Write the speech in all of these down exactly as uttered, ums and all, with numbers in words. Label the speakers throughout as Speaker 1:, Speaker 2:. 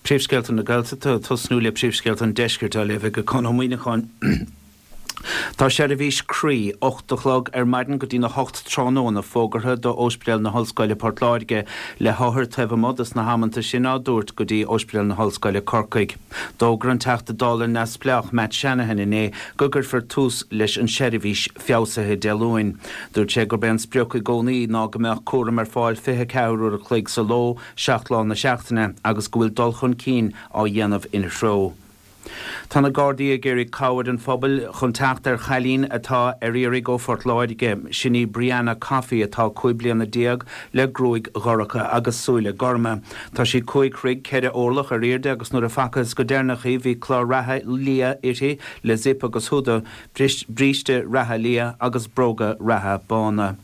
Speaker 1: Príomhscéalta na Gaeltachta tosnú le príomhscéalta an deiscirt á léamh ag Conn Ó Muíneacháin. Tá seirbhís croí ocht a chlog ar maidin go dtí na hocht tráthnóna fógartha do Ospidéal na hOllscoile Port Láirge le hothair taobh amuigh dos na hamanta sin á dtabhairt go dtí Ospidéal na hOllscoile Corcaigh. D'fhógair an Teachta Dála neamhspleách Matt Shanahan inné go gcuirfear tús leis an seirbhís feabhsaithe Dé Luain. Dúirt sé gurb é an sprioc i gcónaí ná go mbeadh cúram ar fáil fiche ceathair uair a chloig sa ló, seacht lá na seachtaine agus go bhfuil dul chun cinn á dhéanamh ina threo. Tá na Gardaí ag iarraidh cabhair an phobail chun teacht ar chailín atá ar iarraidh ó Phort Láirge. Sin í Brianna Coffey atá cúig bliana déag le gruaig dhorcha agus súile gorma. Tá sí cúig throigh ceithre orlach ar airde agus nuair a facthas go deireanach í bhí clár reatha liath uirthi le zip agus húda, bríste reatha liath agus bróga reatha bána.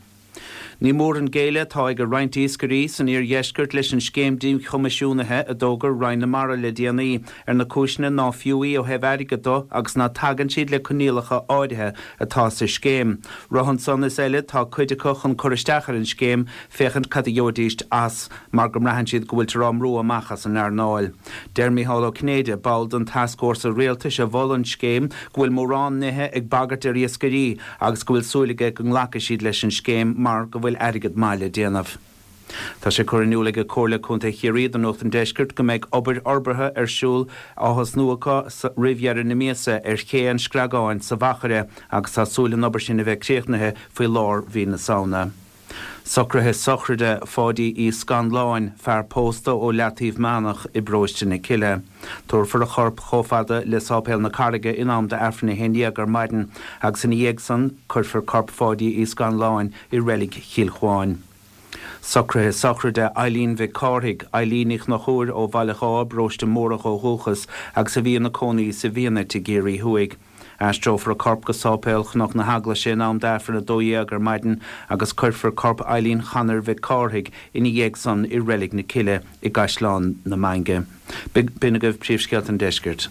Speaker 1: Ní mór an géilleadh atá ag roinnt iascairí san iardheisceart leis an scéim díchoimisiúnaithe a d'fhógair Roinn na Mara le déanaí ar na cúiseanna ná fiú í ó thaobh airgid de agus ná tagann siad le coinníollacha áirithe atá sa scéim. Roimhe ansan is eile tá cuid acu chun cur isteach ar an scéim féachaint cad a gheobhaidís as mar go mbraitheann siad go bhfuiltear á mbrú amach as an earnáil. Deir Micheál Ó Cinnéide, ball den tascfhórsa rialtais a mhol an scéim go bhfuil mórán nithe ag bagairt ar iascairí agus go bhfuil súil aige go nglacfaidh siad leis an scéim mar go bhfuil airgead maith le déanamh. Tá sé curtha in iúl ag Comhairle Contae Chiarraí do Nuacht an Deiscirt go mbeidh obair fhorbartha ar siúl á thosnú acu roimh dheireadh na míosa ar ché an Screagáin sa Mhachaire agus tá súil an obair sin a bheith críochnaithe faoi lár mhí na Samhna. Socruithe sochraide Pháidí Uí Scanláin, fear pósta ó Leataobh Meánach i bParóiste na Cille. Tabharfar a chorp chomh fada le Sáipéal na Carraige in am d'Aifreann a haon déag ar maidin agus ina dhiaidh san cuirfear corp Pháidí Uí Scanláin i reilig Chill Chuáin. Socruithe sochraide Eileen Mhic Cárthaigh, Eileen Ní Chnochúir ó Bhaile Dhá, Paróiste Mórdha ó dhúchas agus a bhí ina cónaí sa Bhfianait i gCiarraí Thuaidh. Aistreofar a corp go Sáipéal Chnoc na hEaglaise in am d'Aifreann a dó dhéag ar maidin agus cuirfear corp Eileen Chanair Mhic Cárthaigh ina dhiaidh san i reilig na Cille i gCaisleán na Mainge. B'in agaibh príomhscéalta an deiscirt.